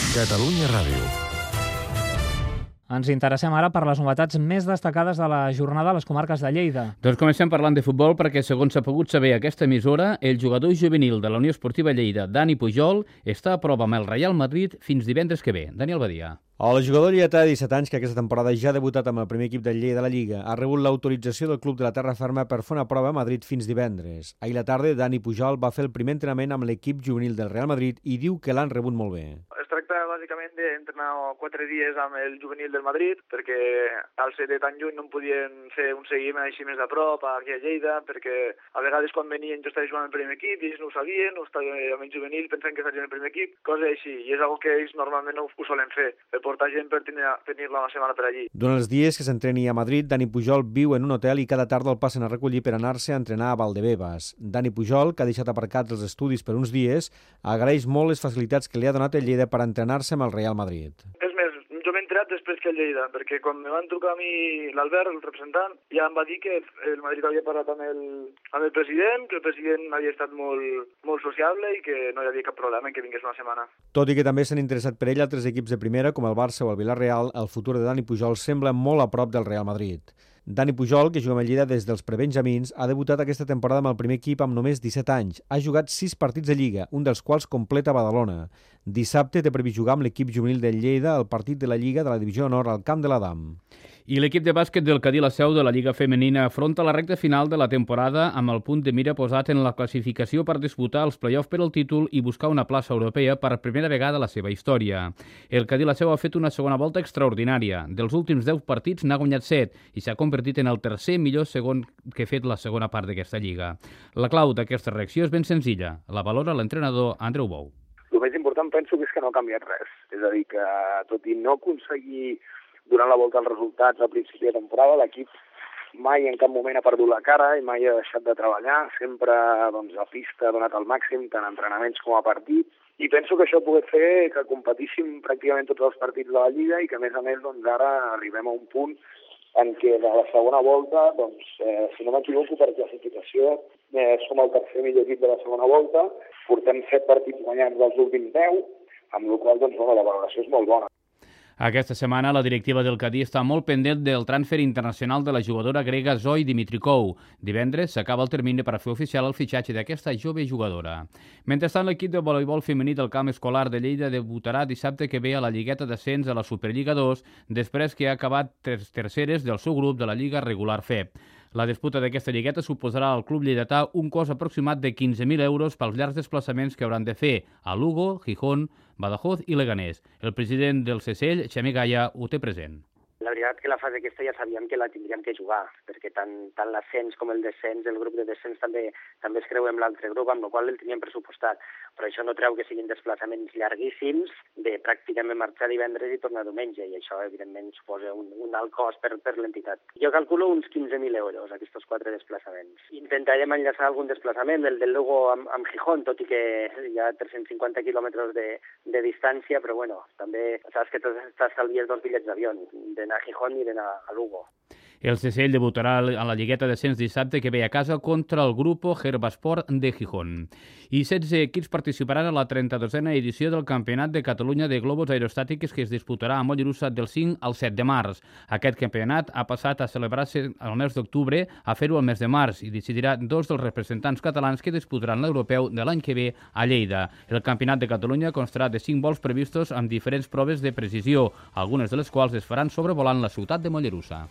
Catalunya Ràdio. Ens interessem ara per les novetats més destacades de la jornada a les comarques de Lleida. Doncs comencem parlant de futbol perquè, segons s'ha pogut saber aquesta emissora, el jugador juvenil de la Unió Esportiva Lleida, Dani Pujol, està a prova amb el Real Madrid fins divendres que ve. Daniel Badia. El jugador lleidatà de 17 anys, que aquesta temporada ja ha debutat amb el primer equip del Lleida de la Lliga, ha rebut l'autorització del club de la Terra Ferma per fer una prova a Madrid fins divendres. Ahir a la tarda, Dani Pujol va fer el primer entrenament amb l'equip juvenil del Real Madrid i diu que l'han rebut molt bé. Es tracta bàsicament d'entrenar 4 dies amb el juvenil del Madrid, perquè al ser de tan lluny no em podien fer un seguiment així més de prop aquí a Lleida, perquè a vegades quan venien jo estava jugant al primer equip i ells no ho sabien, o estava amb el juvenil pensant que estarien al primer equip, coses així, i és una que ells normalment no ho solen fer, per portar gent per tenir-la una setmana per allí. Durant els dies que s'entreni a Madrid, Dani Pujol viu en un hotel i cada tarda el passen a recollir per anar-se a entrenar a Valdebebas. Dani Pujol, que ha deixat aparcats els estudis per uns dies, agraeix molt les facilitats que li ha donat el Lleida per entrenar-se amb el Real Madrid. És més, jo m'he entrat després que el Lleida, perquè quan me van trucar a mi l'Albert, el representant, ja em va dir que el Madrid havia parlat amb el president, que el president havia estat molt sociable i que no hi havia cap problema en que vingués una setmana. Tot i que també s'han interessat per ell altres equips de primera, com el Barça o el Villarreal, el futur de Dani Pujol sembla molt a prop del Real Madrid. Dani Pujol, que juga amb el Lleida des dels prebenjamins, ha debutat aquesta temporada amb el primer equip amb només 17 anys. Ha jugat 6 partits de Lliga, un dels quals completa a Badalona. Dissabte té previst jugar amb l'equip juvenil del Lleida al partit de la Lliga de la Divisió Honor al Camp de l'Adam. I l'equip de bàsquet del Cadí La Seu de la Lliga Femenina afronta la recta final de la temporada amb el punt de mira posat en la classificació per disputar els play-off per al títol i buscar una plaça europea per primera vegada a la seva història. El Cadí La Seu ha fet una segona volta extraordinària. Dels últims 10 partits n'ha guanyat 7 i s'ha convertit en el tercer millor segon que ha fet la segona part d'aquesta lliga. La clau d'aquesta reacció és ben senzilla. La valora l'entrenador Andreu Bou. El més important penso que és que no ha canviat res. És a dir, que tot i no aconseguir durant la volta els resultats al principi de temporada, l'equip mai en cap moment ha perdut la cara i mai ha deixat de treballar, sempre a pista ha donat el màxim, tant a entrenaments com a partits, i penso que això ha pogut fer que competíssim pràcticament tots els partits de la Lliga i que a més ara arribem a un punt en què de la segona volta, si no m'equivoco per classificació, som el tercer millor equip de la segona volta, portem 7 partits guanyats dels últims 10, amb la qual cosa la valoració és molt bona. Aquesta setmana la directiva del Cadí està molt pendent del transfer internacional de la jugadora grega Zoe Dimitrikou. Divendres s'acaba el termini per fer oficial el fitxatge d'aquesta jove jugadora. Mentrestant, l'equip de voleibol femení del camp escolar de Lleida debutarà dissabte que ve a la Lligueta d'Ascens a la Superliga 2 després que ha acabat terceres del seu grup de la Lliga Regular FEB. La disputa d'aquesta lligueta suposarà al club lleidatà un cost aproximat de 15.000 euros pels llargs desplaçaments que hauran de fer a Lugo, Gijón, Badajoz i Leganés. El president del CSL, Xavier Gaya, ho té present. La veritat que la fase aquesta ja sabíem que la tindríem que jugar, perquè tant l'ascens com el descens, el grup de descens també es creu amb l'altre grup, amb el qual el teníem pressupostat. Però això no treu que siguin desplaçaments llarguíssims, de pràcticament marxar divendres i tornar diumenge, i això evidentment suposa un alt cost per l'entitat. Jo calculo uns 15.000 euros, aquests 4 desplaçaments. Intentarem enllaçar algun desplaçament, el del Lugo amb Gijón, tot i que hi ha 350 quilòmetres de distància, però bueno, també saps que t'estalvies 2 bitllets d'avió, d'anar a Gijón i d'anar a Lugo. El CSL debutarà a la Lligueta d'Ascens dissabte que ve a casa contra el Grupo Herbasport de Gijón. I 16 equips participaran a la 32a edició del Campionat de Catalunya de Globus Aerostàtics que es disputarà a Mollerussa del 5 al 7 de març. Aquest campionat ha passat a celebrar-se al mes d'octubre a fer-ho al mes de març i decidirà 2 dels representants catalans que disputaran l'europeu de l'any que ve a Lleida. El Campionat de Catalunya constarà de 5 vols previstos amb diferents proves de precisió, algunes de les quals es faran sobrevolant la ciutat de Mollerussa.